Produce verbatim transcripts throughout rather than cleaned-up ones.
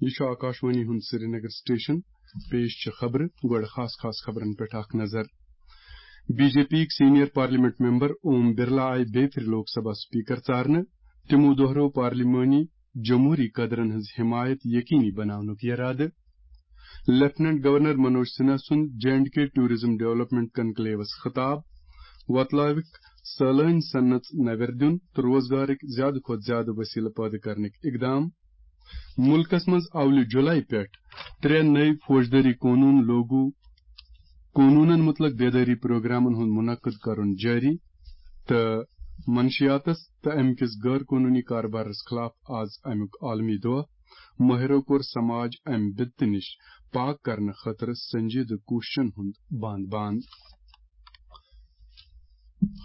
یہِ چھُ آکاشوانی ہُنٛد سرینگر سٹیشن۔ پیش چھِ خبرٕ۔ گۄڈٕ خاص خاص خبرن پٮ۪ٹھ اکھ نظر۔ بی جے پی یِکۍ senior parliament member Om Birla آیہِ بیٚیہِ پھِرِ لوک سبھا سپیکر ژارنہٕ۔ تِمو دۄہرٲو پارلیمانی جمہوری قدرن ہٕنٛز حمایت یقینی بناونُک یرادٕ۔ لیفٹیننٹ گورنر منوج سنہا سُنٛد J and K tourism development کنکلیوس خطاب۔ وۄتلٲوِکھ سٲلٲنۍ صنعت نوٮ۪ر دیُن تہٕ روزگارٕکۍ زیادٕ کھۄتہٕ زیادٕ وسیلہٕ پٲدٕ کرنٕکۍ اقدام۔ مُلکَس منٛز اولہِ جُلای پٮ۪ٹھ ترٛےٚ نٔوۍ فوجدٲری قونوٗن لوگو، قونوٗنَن مُتعلِق بیدٲری پروگرامَن ہُنٛد منعقد کرُن جٲری تہٕ منشیاتَس تہٕ اَمہِ کِس غٲر قونوٗنی کاربارَس خلاف آز اَمیُک عالمی دۄہ۔ مٲہرو کوٚر سماج اَمہِ بدتہٕ نِش پاک کرنہٕ خٲطرٕ سنجیدٕ کوٗششَن ہُنٛد بانٛد بانٛد۔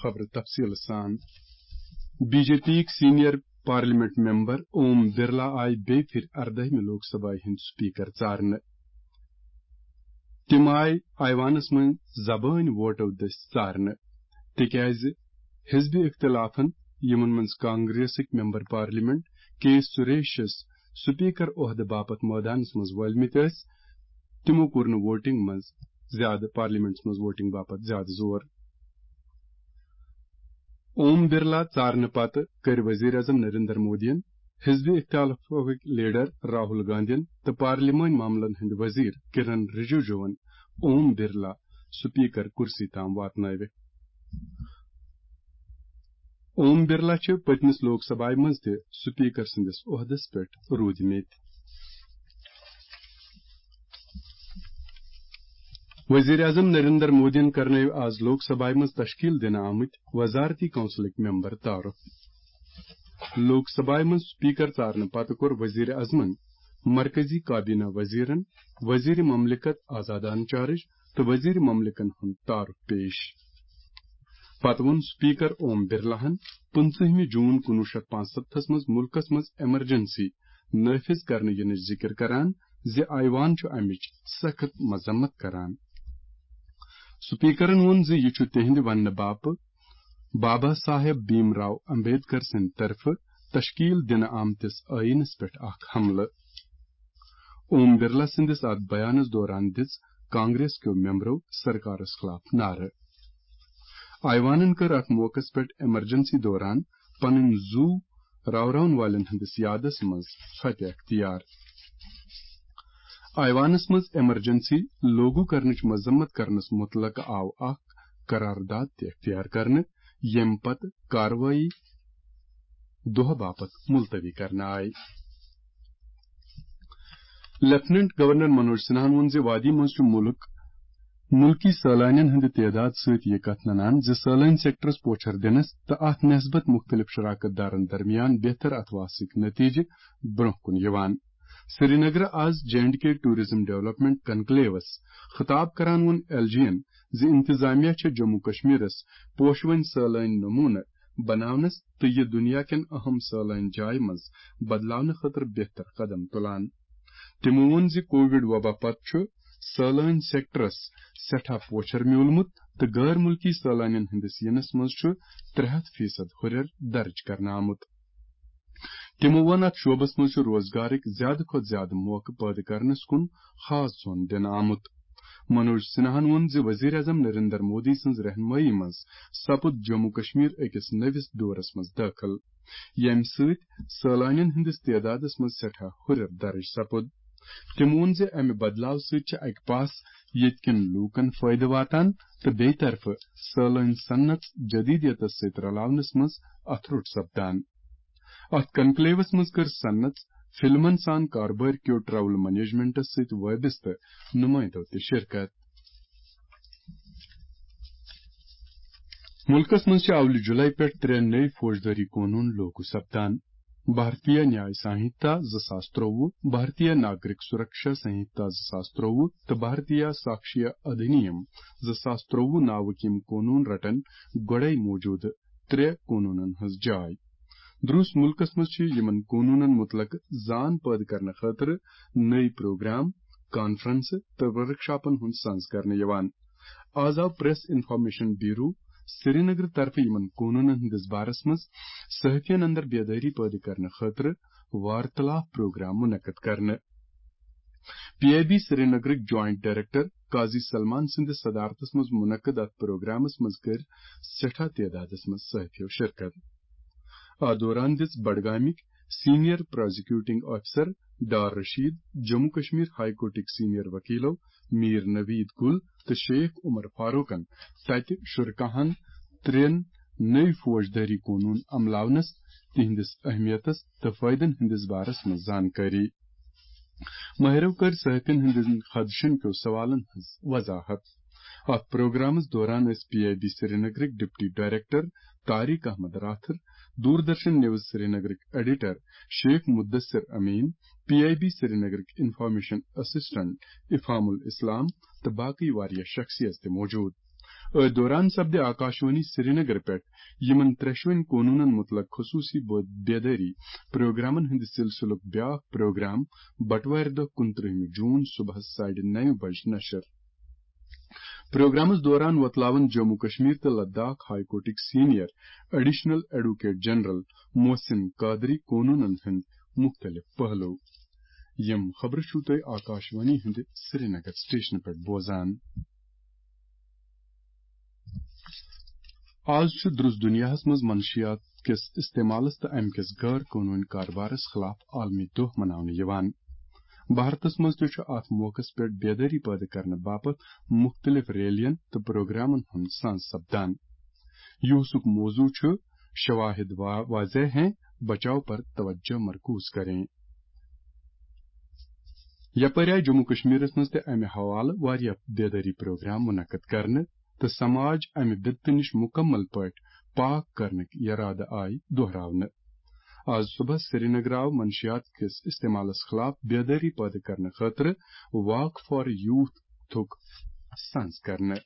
خبرٕ تفصیٖل سان۔ بی جے پی یِکۍ senior parliament member Om Birla آیہِ بیٚیہِ پھِرِ اردٲہمہِ لوک سبھایہِ ہٕنٛدۍ سپیکر ژارنہٕ۔ تِم آیہِ ایوانس منٛز زبٲنۍ ووٹو دٔسۍ ژارنہٕ، تِکیازِ حزب اختلافن، یِمن منٛز کانگریسٕکۍ ممبر پارلیمنٹ کے سریشس سپیکر عہدٕ باپتھ مٲدانس منٛز وٲلمٕتۍ ٲسۍ، تِمو کوٚر نہٕ ووٹنگ منٛز زیادٕ، پارلیمنٹس منٛز ووٹنگ باپتھ زیادٕ زور۔ اوم برلا ژارنہٕ پتہٕ کٔرۍ وزیر اعظم نریندر مودیَن، حزب اختلافٕکۍ لیڈر راہل گاندھین تہٕ پارلیمٲنۍ معاملن ہٕنٛدۍ وزیر کرن رجیجوَن اوم برلا سپیکر کرسی تام واتنٲوِتھ۔ اوم برلا چھِ پٔتمِس لوک سبھایہِ منٛز تہِ سپیکر سٕنٛدِس عہدس پٮ۪ٹھ روٗدمٕتۍ۔ وزیر اعظم نریندر مودیَن کرنٲوۍ آز لوک سبھایہِ منٛز تشکیل دِنہٕ آمٕتۍ وزارتی کونسلٕکۍ ممبر تعارف۔ لوک سبھایہِ منٛز سپیکر ژارنہٕ پتہٕ کوٚر وزیر اعظمن مرکزی کابینہ وزیرن، وزیر مملکت آزادان چارج تہٕ وزیر مملکن ہُنٛد تعارف پیش۔ پتہٕ ووٚن سپیکر اوم برلاہن پٕنٛژٕہمہِ جوٗن کُنوُہ شیٚتھ پانٛژستتھس منٛز مُلکس منٛز ایمرجنسی نافذ کرنہٕ یِنٕچ ذِکر کران زِ ایوان چھُ امِچ سخت مذمت کران۔ سپیکرن ووٚن زِ یہِ چھُ تِہنٛدِ وننہٕ باپتھ بابا صاحب بھیم راو امبیڈکر سٕنٛدِ طرفہٕ تشکیل دِنہٕ آمتِس ٲیٖنس پٮ۪ٹھ اکھ حملہٕ۔ اوم برلا سٕنٛدِس اتھ بیانس دوران دِژ کانگریس کیو ممبرو سرکارس خلاف نعرٕ۔ ایوانن کٔر اتھ موقعس پٮ۪ٹھ ایمرجنسی دوران پنٕنۍ زُو راوراون والٮ۪ن ہٕنٛدِس یادس منٛز فتح اختیار۔ ایوانس منٛز ایمرجنسی لاگو کرنٕچ مذمت کرنس متعلق آو اکھ قرارداد تہِ اختیار کرنہٕ، ییٚمہِ پتہٕ کاروٲیی دۄہ باپتھ ملتوی کرنہٕ آیہِ۔ لیفٹیننٹ گورنر منوج سنہاہن ووٚن زِ وادی منٛز چھُ مُلک مُلکی سٲلانٮ۪ن ہٕنٛدِ تعداد سۭتۍ یہِ کتھ ننان زِ سٲلٲنۍ سیکٹرس پوچھر دِنس تہٕ اتھ نسبت مُختٔلِف شراکت دارن درمیان بہتر اتھواسٕکۍ نتیجہٕ برونٛہہ کُن یِوان۔ سرینگرٕ آز J and K tourism development کنکلیوس خطاب کران ووٚن ایل جی یَن زِ انتظامیہ چھےٚ جموں کشمیرس پوشوٕنۍ سٲلٲنۍ نمونہٕ بناونس تہٕ یہِ دُنیا کٮ۪ن اہم سٲلٲنۍ جایہِ منٛز بدلاونہٕ خٲطرٕ بہتر قدم تُلان۔ تِمو ووٚن زِ کووڈ وبا پتہٕ چھُ سٲلٲنۍ سیکٹرس سٮ۪ٹھاہ پوچھر میوٗلمُت تہٕ غٲر مُلکی سٲلٲنٮ۪ن ہٕنٛدِس یِنس منٛز چھُ ترٛےٚ ہتھ فیصد ہُرٮ۪ر درٕج کرنہٕ آمُت۔ تِمو ووٚن، اتھ شعبس منٛز چھُ روزگارٕکۍ زیادٕ کھۄتہٕ زیادٕ موقعہٕ پٲدٕ کرنس کُن خاص ظۄن دِنہٕ آمُت۔ منوج سنہاہن ووٚن زِ وزیر اعظم نریندر مودی سٕنٛز رہنمٲیی منٛز سپُد جموں کشمیر أکِس نٔوِس دورس منٛز دٲخل، ییٚمہِ سۭتۍ سٲلانٮ۪ن ہٕنٛدِس تعدادس منٛز سٮ۪ٹھاہ ہُرٮ۪ر درٕج سپُد۔ تٔمۍ ووٚن زِ امہِ بدلاو سۭتۍ چھِ اکہِ پاسہٕ ییٚتہِ کٮ۪ن لوٗکن فٲیدٕ واتان تہٕ بیٚیہِ طرفہٕ سٲلٲنۍ صنعت جدیدیتس سۭتۍ رلاونس منٛز اتھٕ روٚٹ سپدان۔ اتھ کنکلیوس منٛز کٔر صنعت، فلمن سان کاربار کیو ٹریول مینجمنٹس سۭتۍ وابستہٕ نمائندو تہِ شرکت۔ مُلکس منٛز چھِ اولہِ جُلای پٮ۪ٹھ ترٛےٚ نٔوۍ فوجدٲری قونوٗن لاگو سپدان۔ بھارتیہ نیاے سانہتا زٕ ساس ترٛۆوُہ، بھارتیہ ناگرک سرکشا سانہتا زٕ ساس ترٛۆوُہ تہٕ بھارتیہ ساکشیہ ادھینیم زٕ ساس ترٛۆوُہ ناوٕکۍ یِم قونوٗن رٹن گۄڈے موجودٕ ترٛےٚ قونوٗنن ہٕنٛز جاے۔ درٛوس مُلکس منٛز چھِ یِمن قونوٗنن مُتعلق زان پٲدٕ کرنہٕ خٲطرٕ نٔوۍ پروگرام، کانفرنسہٕ تہٕ ورکشاپن ہُنٛد سنز کرنہٕ یِوان۔ آز آو پریس انفارمیشن بیورو سرینگرٕ طرفہٕ یِمن قونوٗنن ہٕنٛدِس بارس منٛز صحافین اندر بیدٲری پٲدٕ کرنہٕ خٲطرٕ وارتلاف پروگرام منعقد کرنہٕ۔ پی آئی بی سرینگرٕکۍ جوائنٹ ڈائریکٹر قاضی سلمان سٕنٛدِس صدارتس منٛز منعقد اتھ پروگرامس منٛز کٔر سٮ۪ٹھاہ تعدادس منٛز صحافیو شرکت۔ اتھ دوران دِژ بڈگامٕکۍ senior prosecuting officer Dar Rashid, Jammu Kashmir high کورٹٕکۍ سینئر وکیلو میر نوید گل تہٕ شیخ عمر فاروقن تتہِ شرکاہن ترٛٮ۪ن نٔوۍ فوجدٲری قونوٗن عملاونس، تِہنٛدِس اہمیتس تہٕ فٲیدن ہٕنٛدِس بارس منٛز زانکٲری۔ ماہرو کٔر صحافین ہٕنٛدٮ۪ن خدشن کیو سوالن ہٕنٛز وضاحت۔ اتھ پروگرامس دوران ٲسۍ پی آئی بی سرینگرٕکۍ deputy director Tariq Ahmad Rather, Doordarshan news سرینگرٕکۍ editor Sheikh Mudassir Amin, P I B سرینگرٕکۍ انفارمیشن اسسٹنٹ افہام الاسلام تہٕ باقی واریاہ شخصیت تہِ موجود۔ أتھۍ دوران سپدِ آکاشوانی سرینگر پٮ۪ٹھ یِمن ترٛٮ۪شوٕنۍ قونوٗنن مُتعلق خصوٗصی بو-، بیدٲری پروگرامن ہٕنٛدِ سلسلُک بیٛاکھ پروگرام بٹوارِ دۄہ کُنترٕہمہِ جوٗن صبحس ساڑِ نَوِ بجہِ نشر۔ پروگرامس دوران وۄتلاون جموں کشمیر تہٕ لداخ ہائی کورٹٕکۍ senior additional advocate general Mohsin Qadri قونوٗنن ہٕنٛدۍ مُختٔلِف پہلو۔ یِم خبرٕ چھِو تُہۍ آکاشوانی ہٕنٛدِ سرینگر سٹیشنہٕ پٮ۪ٹھ بوزان۔ آز چھُ درُس دُنیاہَس منٛز منشیات کِس استعمالَس تہٕ اَمہِ کِس غٲر قونوٗنی کاربارَس خلاف عالمی دۄہ مناونہٕ یِوان۔ بھارتَس منٛز تہِ چھُ اَتھ موقعَس پٮ۪ٹھ بیدٲری پٲدٕ کرنہٕ باپتھ مُختٔلِف ریلیَن تہٕ پروگرامَن ہُنٛد سانز سپدان۔ یوسُک موضوع چھُ شواہد وا-، واضح ہیں، بچاؤ پر توجہ مرکوز کریں۔ یپٲرۍ آیہِ جموں کشمیرس منٛز تہِ امہِ حوالہٕ واریاہ بیدٲری پروگرام منعقد کرنہٕ تہٕ سماج امہِ بدتہٕ نِش مُکمل پٲٹھۍ پاک کرنٕکۍ یرادٕ آیہِ دۄہراونہٕ۔ آز صبحس سرینگر آو منشیات کِس استعمالس خلاف بیدٲری پٲدٕ کرنہٕ خٲطرٕ واک فار یوتھ تھُک سنز کرنہٕ۔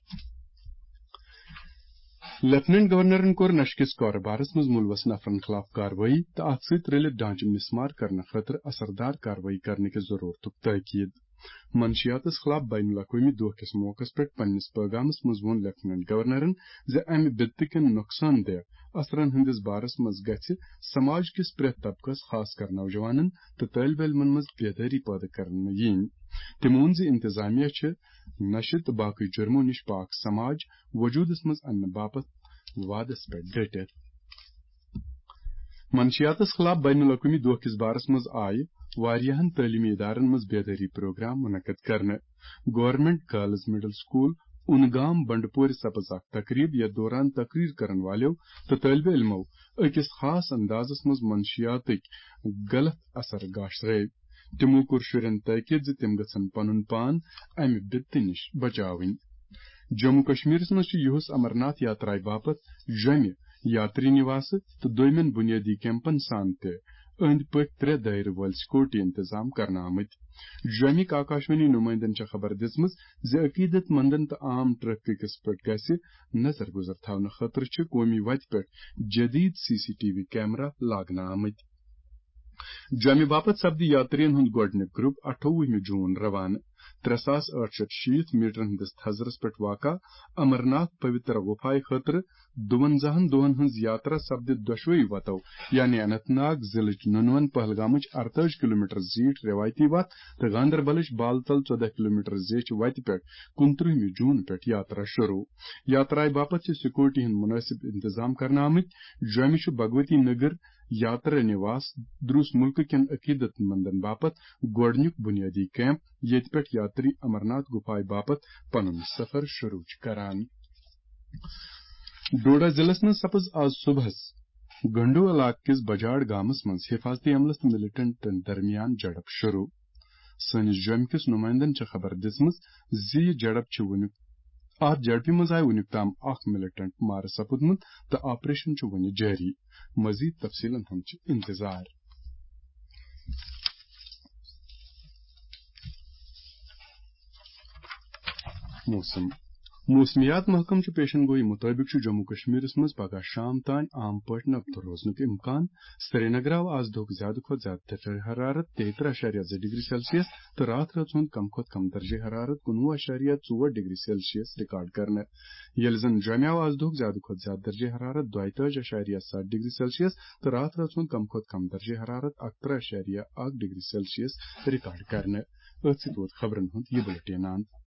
لیفٹیننٹ گورنرن کوٚر نشہٕ کِس کارٕبارس منٛز مُلوث نفرن خلاف کاروٲیی تہٕ اتھ سۭتۍ رلِتھ ڈھانچہٕ مسمار کرنہٕ خٲطرٕ اثردار کاروٲیی کرنہٕ کِس ضرورتُک تٲکید۔ منشیاتس خلاف بین الاقوٲمی دۄہ کِس موقعس پٮ۪ٹھ پننِس پٲغامس منٛز ووٚن لیفٹیننٹ گورنرن زِ امہِ بدتہٕ کٮ۪ن نۄقصان دہ اثرن ہٕنٛدِس بارس منٛز گژھِ سماج کِس پرٛٮ۪تھ طبقس، خاص کر نوجوانن تہٕ طٲلبہِ علمن منٛز بیدٲری پٲدٕ کرنہٕ یِنۍ۔ تٔمۍ ووٚن زِ انتظامیہ چھِ نشہٕ تہٕ باقٕے جرمو نِش پاک سماج وجوٗدس منٛز اننہٕ باپتھ وعدس پٮ۪ٹھ ڈٔٹِتھ۔ منشیاتس خلاف بین الاقوٲمی دۄہ کِس بارس منٛز آیہِ واریاہن تعلیمی ادارن منٛز بیدٲری پروگرام منعقد کرنہٕ۔ گورنمنٹ گرلز مڈل سکول اُنگام بنڈپورِ سپز اکھ تقریب، یتھ دوران تقریر کرن والیو تہٕ طٲلبہِ علمو أکِس خاص اندازس منٛز منشیاتٕکۍ غلط اثر گاشرٲوۍ۔ تِمو کوٚر شُرٮ۪ن تٲکید زِ تِم گژھن پنُن پان امہِ بدتہٕ نِش بچاوٕنۍ۔ جموں کشمیرس منٛز چھُ یُہُس امرناتھ یاترایہِ باپتھ جوٚمہِ یاتری نِواسہٕ تہٕ دویمٮ۪ن بُنیٲدی کیمپن سان تہِ أنٛدۍ پٔکۍ ترٛےٚ دٲیرٕ وٲلۍ سیکورٹی انتظام کرنہٕ آمٕتۍ۔ جوٚمِکۍ آکاشوانی نُمٲیندن چھےٚ خبر دِژمٕژ زِ عقیدت مندن تہٕ عام ٹریفکس پٮ۪ٹھ گژھِ نظر گُزر تھاونہٕ خٲطرٕ چھِ قومی وتہِ پٮ۪ٹھ جدید C C T V camera لاگنہٕ آمٕتۍ۔ جوٚمہِ باپتھ سپدِ یاترین ہُنٛد گۄڈٕنیُک گروپ اَٹھووُہمہِ جوٗن روانہٕ۔ ترٛےٚ ساس ٲٹھ شیٚتھ شیٖتھ میٹرن ہٕنٛدِس تھزرس پٮ۪ٹھ واقع امرناتھ پویتر غفایہِ خٲطرٕ دُوَنزاہن دۄہن ہٕنٛز یاترا سپدِ دۄشوٕے وتو، یعنی اننت ناگ ضلعٕچ نُنون پہلگامٕچ ارتٲجی کلومیٹر زیٖٹھ رٮ۪وایتی وتھ تہٕ گاندربلٕچ بالتل ژۄدہ کلومیٹر زیچھِ وتہِ پٮ۪ٹھ کُنترٕہمہِ جوٗن پٮ۪ٹھ یاترا شروع۔ یاترایہِ باپتھ چھِ سیکورٹی ہٕنٛدۍ مُنٲسِب انتظام کرنہٕ آمٕتۍ۔ جوٚمہِ چھُ بھگوتی نگر یاترا نِواس دروس مُلکہٕ کٮ۪ن عقیدت مندن باپتھ گۄڈٕنیُک بُنیٲدی کیمپ، ییٚتہِ پٮ۪ٹھ یاتری امرناتھ گُفایہِ باپتھ پنُن سفر شروع چھِ کران۔ ڈوڈا ضلعس منٛز سپٕز آز صبحس گنڈو علاقہٕ کِس بجاڑ گامس منٛز حفاظتی عملس تہٕ ملیٹنٹن درمیان جھڑپ شروع۔ سٲنِس جوٚمہِ کِس نُمٲیندن چھےٚ خبر دِژمٕژ زِ یہِ جھڑپ چھِ وُنیُک، اتھ جھڑپہِ منٛز آیہِ وُنیُک تام اکھ ملیٹنٹ مارٕ سپُدمُت تہٕ آپریشن چھُ وُنہِ جٲری۔ مزید تفصیلن ہُنٛد چھُ انتظار۔ موسم۔ موسمیات محکمہٕ چہِ پیشن گویی مُطٲبِق چھُ جموں کشمیرس منٛز پگہہ شام تام عام پٲٹھۍ نبتہٕ روزنُک امکان۔ سرینگر آو آز دۄہُک زیادٕ کھۄتہٕ زیادٕ درجہ حرارت تیٚیہِ ترٕٛہ اَشاریہ زٕ ڈگری سیلسیس تہٕ راتھ رٲژ ہُنٛد کم کھۄتہٕ کم درجہ حرارت کُنوُہ اَشاریہ ژور ڈگری سیلسیس ریکارڈ کرنہٕ۔ ییٚلہِ زن جوٚمہِ آو آز دۄہُک زیادٕ کھۄتہٕ زیادٕ درجہ حرارت دۄیہِ تٲجی اَشاریہ ستھ ڈگری سیلسیس تہٕ راتھ رٲژ ہُنٛد کم کھۄتہٕ کم درجہ حرارت اکہٕ ترٕٛہ اَشاریہ اکھ ڈگری سیلسیس ریکارڈ کرنہٕ۔ أتھۍ سۭتۍ ووت خبرن ہُنٛد یہِ بُلٹین اند۔